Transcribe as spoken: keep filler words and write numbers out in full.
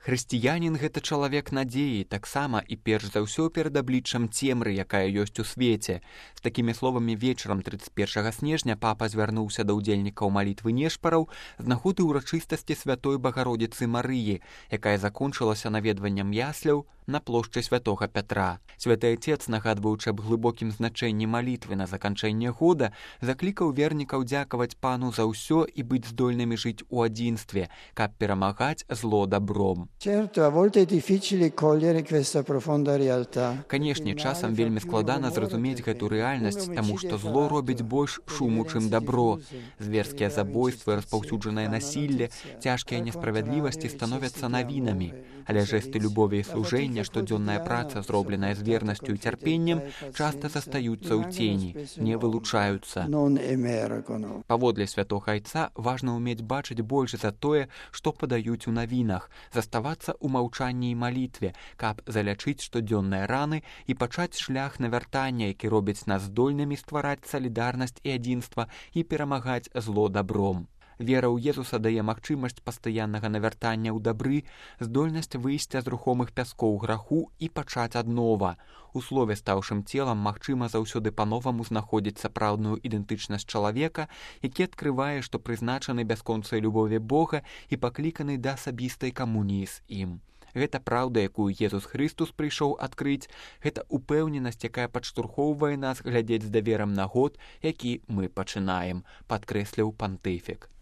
Хрысціянін гэта чалавек надзеі, таксама і перш за ўсё перад абліччам цемры, якая ёсць у свеце. З такімі словамі вечарам трыццаць першага снежня папа звярнуўся да ўдзельнікаў малітвы нешпараў з нагоды ўрачыстасці святой Багародзіцы Марыі, якая закончылася наведваннем ясляў на плошчы святога Пятра. Святы Отец, нагадваючы аб глыбокім значэнні малітвы на заканчэнне года, заклікаў вернікаў дзякаваць Пану за ўсё і быць здольнымі жыць у адзінстве, каб перамагаць зло добром. Канешне, часам вельмі складана зразумець гэту рэальнасць, таму што зло робіць больш шуму, чым добро. Зверскія забойствы, распаўсюджанае насілле, цяжкія несправядлівасці становяцца навінамі. Але жэсты любові і служэння, штодзённая праца, зробленая з вернасцю і цярпеннем, часта застаюцца ў цені, не вылучаюцца. Паводле святога Айца важна ўмець бачыць больш за тое, што падаюць у навінах, заставацца ў маўчанні і малітве, каб залячыць штодзённыя раны і пачаць шлях навяртання, які робіць нас здольнымі ствараць салідарнасць і адзінства і перамагаць зло добром. Вера ў Езуса дае магчымасць пастаяннага навяртання ў дабры, здольнасць выйсця з рухомых пяскоў граху і пачаць аднова. У слове, стаўшым целам, магчыма заўсёды па-новаму знаходзіць сапраўдную ідэнтычнасць чалавека, які адкрывае, што прызначаны бясконцай любові Бога і пакліканы да асабістай камуніі з ім. Гэта праўда, якую Езус Хрыстус прыйшоў адкрыць, гэта упэўненасць, якая падштурхоўвае нас глядзець з даверам на год, які мы пачынаем, падкрэсліў пантыфік.